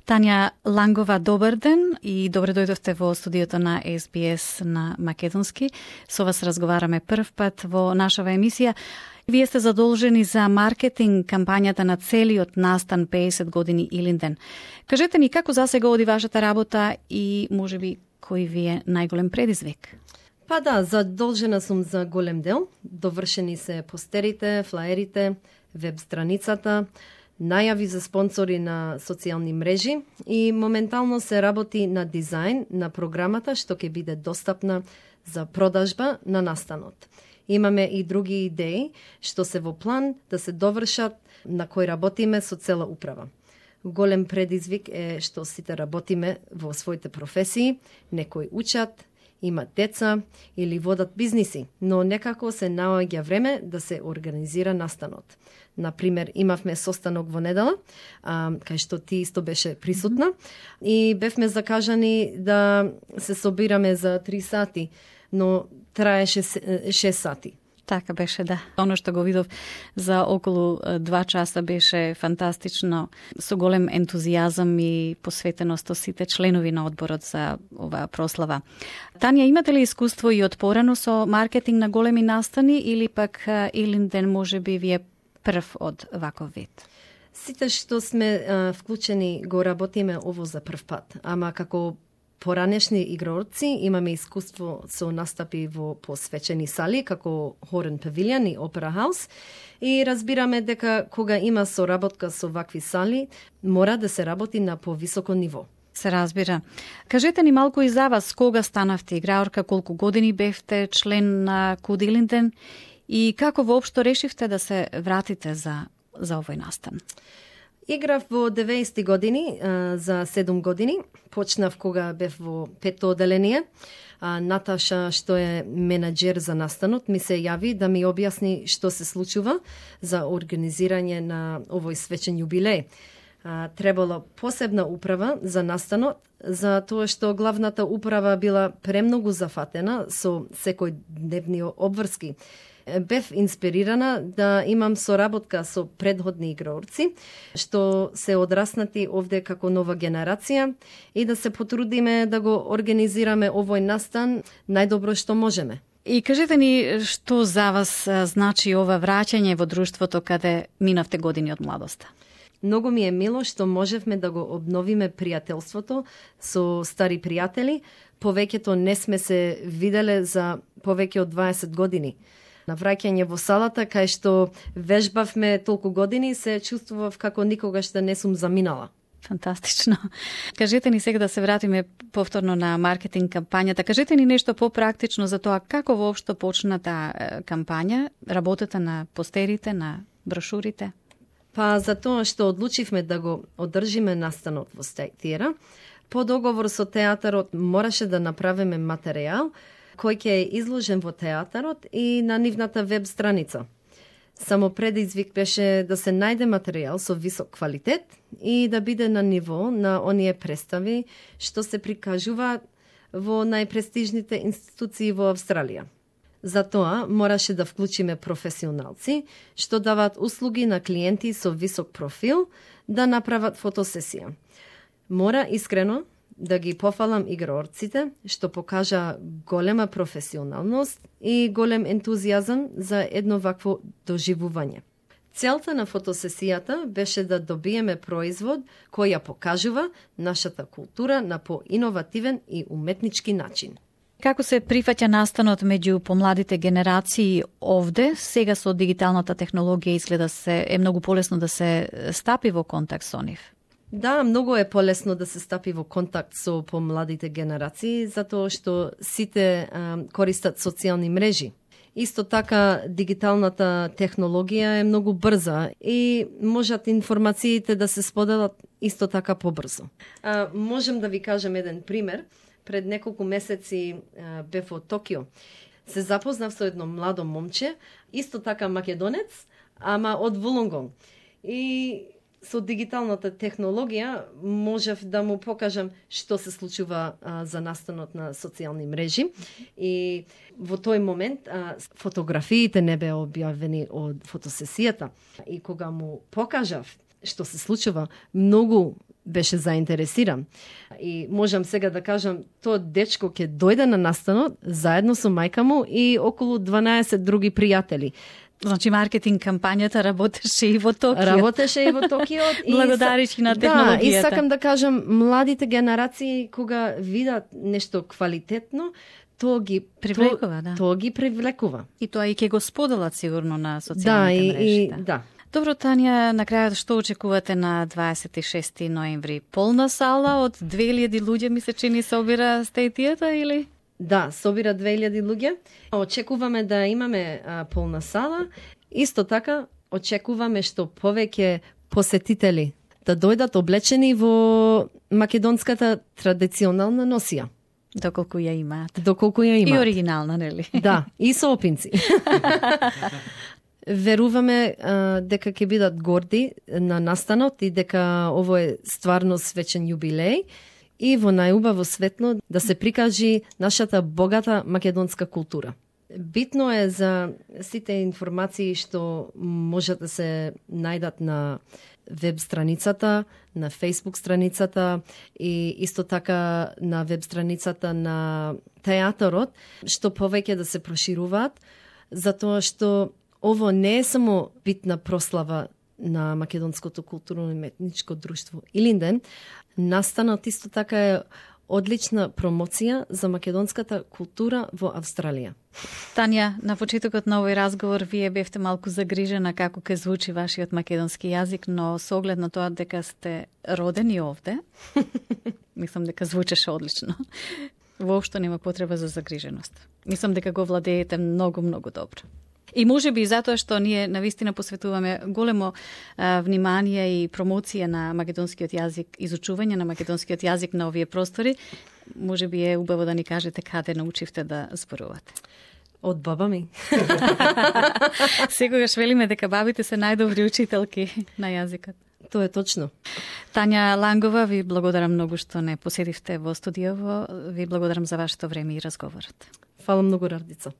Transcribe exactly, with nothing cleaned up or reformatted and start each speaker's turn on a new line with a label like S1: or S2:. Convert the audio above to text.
S1: Тања Лангова, добар ден и добре дојдовте во студиото на Ес Би Ес на Македонски. Со вас разговараме прв пат во нашава емисија. Вие сте задолжени за маркетинг кампањата на целиот настан пеесет години Илинден. Кажете ни како засега оди вашата работа и можеби кој ви е најголем предизвик?
S2: Па да, задолжена сум за голем дел. Довршени се постерите, флаерите, веб страницата, најави за спонсори на социјални мрежи и моментално се работи на дизајн на програмата што ќе биде достапна за продажба на настанот. Имаме и други идеи што се во план да се довршат, на кои работиме со цела управа. Голем предизвик е што сите работиме во своите професии, некои учат, имат деца или водат бизниси, но некако се наоѓа време да се организира настанот. Например, имавме состанок во недела, а, кај што ти исто беше присутна, и бевме закажани да се собираме за три сати, но траеше шест сати.
S1: Така беше, да. Оно што го видов за околу два часа беше фантастично, со голем ентузијазам и посветеност од сите членови на одборот за оваа прослава. Тања, имате ли искуство и од порано со маркетинг на големи настани или пак Илинден можеби ви е прв од ваков вид?
S2: Сите што сме а, вклучени го работиме ово за прв пат, ама како поранешни игрорци имаме искуство со настапи во посвечени сали, како Хорен Павилион и Опера Хаус, и разбираме дека кога има соработка со вакви сали, мора да се работи на повисоко ниво.
S1: Се разбира. Кажете ни малку и за вас, кога станавте играорка, колку години бевте член на Куд Илинден и како воопшто решивте да се вратите за, за овој настан?
S2: Играв во деветдесетти години, а, за седум години. Почнав кога бев во петто оделение. А, Наташа, што е менаџер за настанот, ми се јави да ми објасни што се случува за организирање на овој свечен јубилеј. А, требало посебна управа за настанот, за тоа што главната управа била премногу зафатена со секој дневни обврски. Бев инспирирана да имам соработка со предходни играорци, што се одраснати овде како нова генерација и да се потрудиме да го организираме овој настан најдобро што можеме.
S1: И кажете ни што за вас значи ова враќање во друштвото каде минавте години од младоста?
S2: Многу ми е мило што можевме да го обновиме пријателството со стари пријатели. Повеќето не сме се виделе за повеќе од дваесет години. На враќање во салата, кај што вежбавме толку години, се чувствував како никогаш да не сум заминала.
S1: Фантастично. Кажете ни сега да се вратиме повторно на маркетинг кампањата. Кажете ни нешто попрактично за тоа како воопшто почна таа кампања, работата на постерите, на брошурите?
S2: Па за тоа што одлучивме да го одржиме настанот во Стајтира, по договор со театарот мораше да направиме материјал кој ќе е изложен во театарот и на нивната веб страница. Само предизвик беше да се најде материјал со висок квалитет и да биде на ниво на оние представи што се прикажуваат во најпрестижните институции во Австралија. Затоа мораше да вклучиме професионалци што даваат услуги на клиенти со висок профил да направат фотосесија. Мора искрено да ги пофалам играорците што покажа голема професионалност и голем ентузијазам за едно вакво доживување. Целта на фотосесијата беше да добиеме производ кој ја покажува нашата култура на поиновативен и уметнички начин.
S1: Како се прифаќа настанот меѓу помладите генерации овде? Сега со дигиталната технологија изгледа се е многу полесно да се стапи во контакт со нив.
S2: Да, многу е полесно да се стапи во контакт со помладите генерации, затоа што сите а, користат социјални мрежи. Исто така, дигиталната технологија е многу брза и можат информациите да се споделат исто така побрзо. А, можем да ви кажем еден пример. Пред неколку месеци а, бев во Токио. Се запознав со едно младо момче, исто така македонец, ама од Вулонгонг. И со дигиталната технологија можев да му покажам што се случува а, за настанот на социјални мрежи. И во тој момент а, фотографиите не беа објавени од фотосесијата. И кога му покажав што се случува, многу беше заинтересиран. И можам сега да кажам, тоа дечко ќе дојде на настанот заедно со мајка му и околу дванаесет други пријатели.
S1: Значи, маркетинг кампањата работеше и во Токио.
S2: Работеше и во Токио.
S1: Благодариш на технологијата.
S2: Да, и сакам да кажам, младите генерации, кога видат нешто квалитетно, тоа ги
S1: привлекува, да.
S2: Тоа ги привлекува.
S1: И тоа и ќе го споделат сигурно на социјалните
S2: да, и,
S1: мрежи.
S2: И, да.
S1: Добро, Тања, на крајот што очекувате на дваесет и шести ноември? Полна сала од две илјади луѓе, ми се чини, собира стејтијата или?
S2: Да, собира две илјади луѓе. Очекуваме да имаме а, полна сала. Исто така, очекуваме што повеќе посетители да дојдат облечени во македонската традиционална носија.
S1: Доколку ја имаат.
S2: Доколку ја имаат.
S1: И оригинална, нели?
S2: Да, и со опинци. Веруваме а, дека ќе бидат горди на настанот и дека ово е стварно свечен јубилеј и во најубаво светло да се прикажи нашата богата македонска култура. Битно е за сите информации што можат да се најдат на веб страницата, на Facebook страницата и исто така на веб страницата на театарот, што повеќе да се прошируваат, затоа што ово не е само битна прослава на македонското културно и уметничко друштво Илинден, настанот исто така е одлична промоција за македонската култура во Австралија.
S1: Тања, на почетокот на овој разговор вие бевте малку загрижена како ќе звучи вашиот македонски јазик, но со оглед на тоа дека сте родени овде, мислам дека звучеше одлично. Воопшто нема потреба за загриженост. Мислам дека го владеете многу, многу добро. И може би затоа што ние навистина посветуваме големо а, внимание и промоција на македонскиот јазик, изучување на македонскиот јазик на овие простори, може би е убаво да ни кажете каде научивте да зборувате.
S2: Од баба ми.
S1: Секогаш велиме дека бабите се најдобри учителки на јазикот.
S2: Тоа е точно.
S1: Тања Лангова, ви благодарам многу што не посетивте во студиово. Ви благодарам за вашето време и разговорот.
S2: Фала многу, Радица.